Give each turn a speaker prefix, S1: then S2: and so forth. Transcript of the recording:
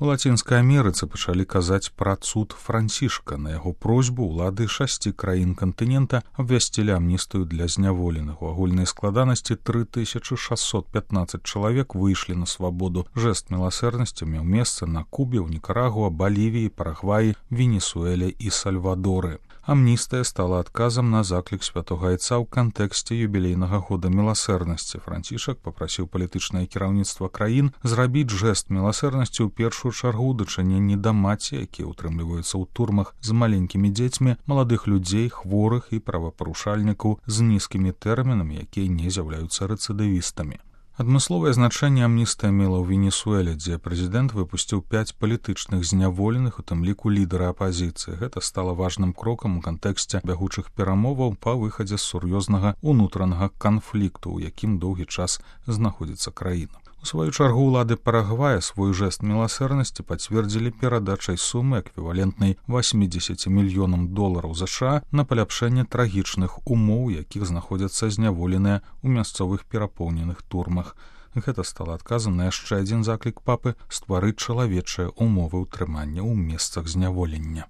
S1: У Лацінскай Амерыцы пачалі казаць пра цуд Францішка. На яго просьбу ўлады 6 краін кантынента абвясцілі амністыю для зняволеных. У агульнай складанасці 3615 чалавек выйшлі на свабоду. Жэст міласэрнасці меў месца на Кубе, ў Нікарагуа, Балівіі, Парагваі, Венесуэле і Сальвадоры. Амністыя стала адказам на заклік святога Айца ў кантэксце юбілейнага года міласэрнасці. Францішак папрасіў палітычнае кіраўніцтва краін зрабіць жэст міласэрнасці ў першую чаргу ў дачыненні да маці, якія ўтрымліваюцца ў турмах з маленькімі дзецьмі, маладых людзей, хворых і правапарушальнікаў з нізкімі тэрмінамі, якія не з'яўляюцца рэцыдывістамі. Адмысловае значэнне амністыя мела ў Венесуэле, дзе прэзідэнт выпусціў 5 палітычных зняволеных, у тым ліку лідара апазіцыі. Гэта стала важным крокам у кантэксце бягучых перамоваў па выхадзе з сур'ёзнага ўнутранага канфлікту, у якім доўгі час знаходзіцца краіна. У сваю чаргу ўлады Парагвая свой жэст міласэрнасці пацвердзілі перадачай сумы, эквівалентнай $80 мільёнам США на паляпшэнне трагічных умоў, якіх знаходзяцца зняволеныя ў мясцовых перапоўненых турмах. Гэта стала адказам на яшчэ адзін заклік папы стварыць чалавечыя умовы ўтрымання ў месцах зняволення.